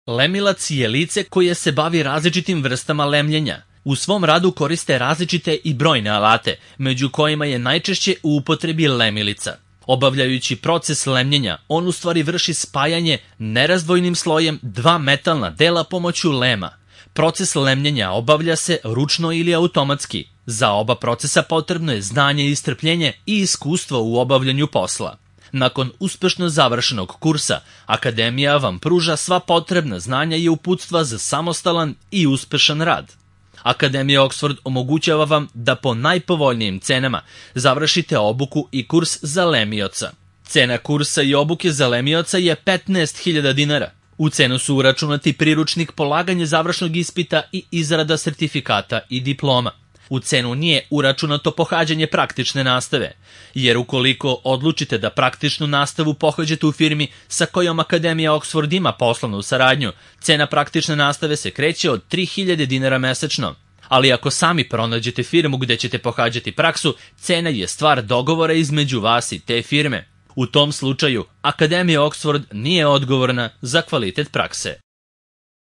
Lemilac je lice koje se bavi različitim vrstama lemljenja. U svom radu koriste različite i brojne alate, među kojima je najčešće u upotrebi lemilica. Obavljajući proces lemljenja, on u stvari vrši spajanje nerazdvojnim slojem dva metalna dela pomoću lema. Proces lemljenja obavlja se ručno ili automatski. Za oba procesa potrebno je znanje i strpljenje i iskustvo u obavljanju posla. Nakon uspešno završenog kursa, Akademija vam pruža sva potrebna znanja i uputstva za samostalan i uspešan rad. Akademija Oxford omogućava vam da po najpovoljnijim cenama završite obuku i kurs za lemioca. Cena kursa i obuke za lemioca je 15.000 dinara. U cenu su uračunati priručnik, polaganje završnog ispita i izrada sertifikata i diploma. U cenu nije uračunato pohađanje praktične nastave, jer ukoliko odlučite da praktičnu nastavu pohađate u firmi sa kojom Akademija Oxford ima poslovnu saradnju, cena praktične nastave se kreće od 3.000 dinara mesečno. Ali ako sami pronađete firmu gde ćete pohađati praksu, cena je stvar dogovora između vas i te firme. U tom slučaju, Akademija Oxford nije odgovorna za kvalitet prakse.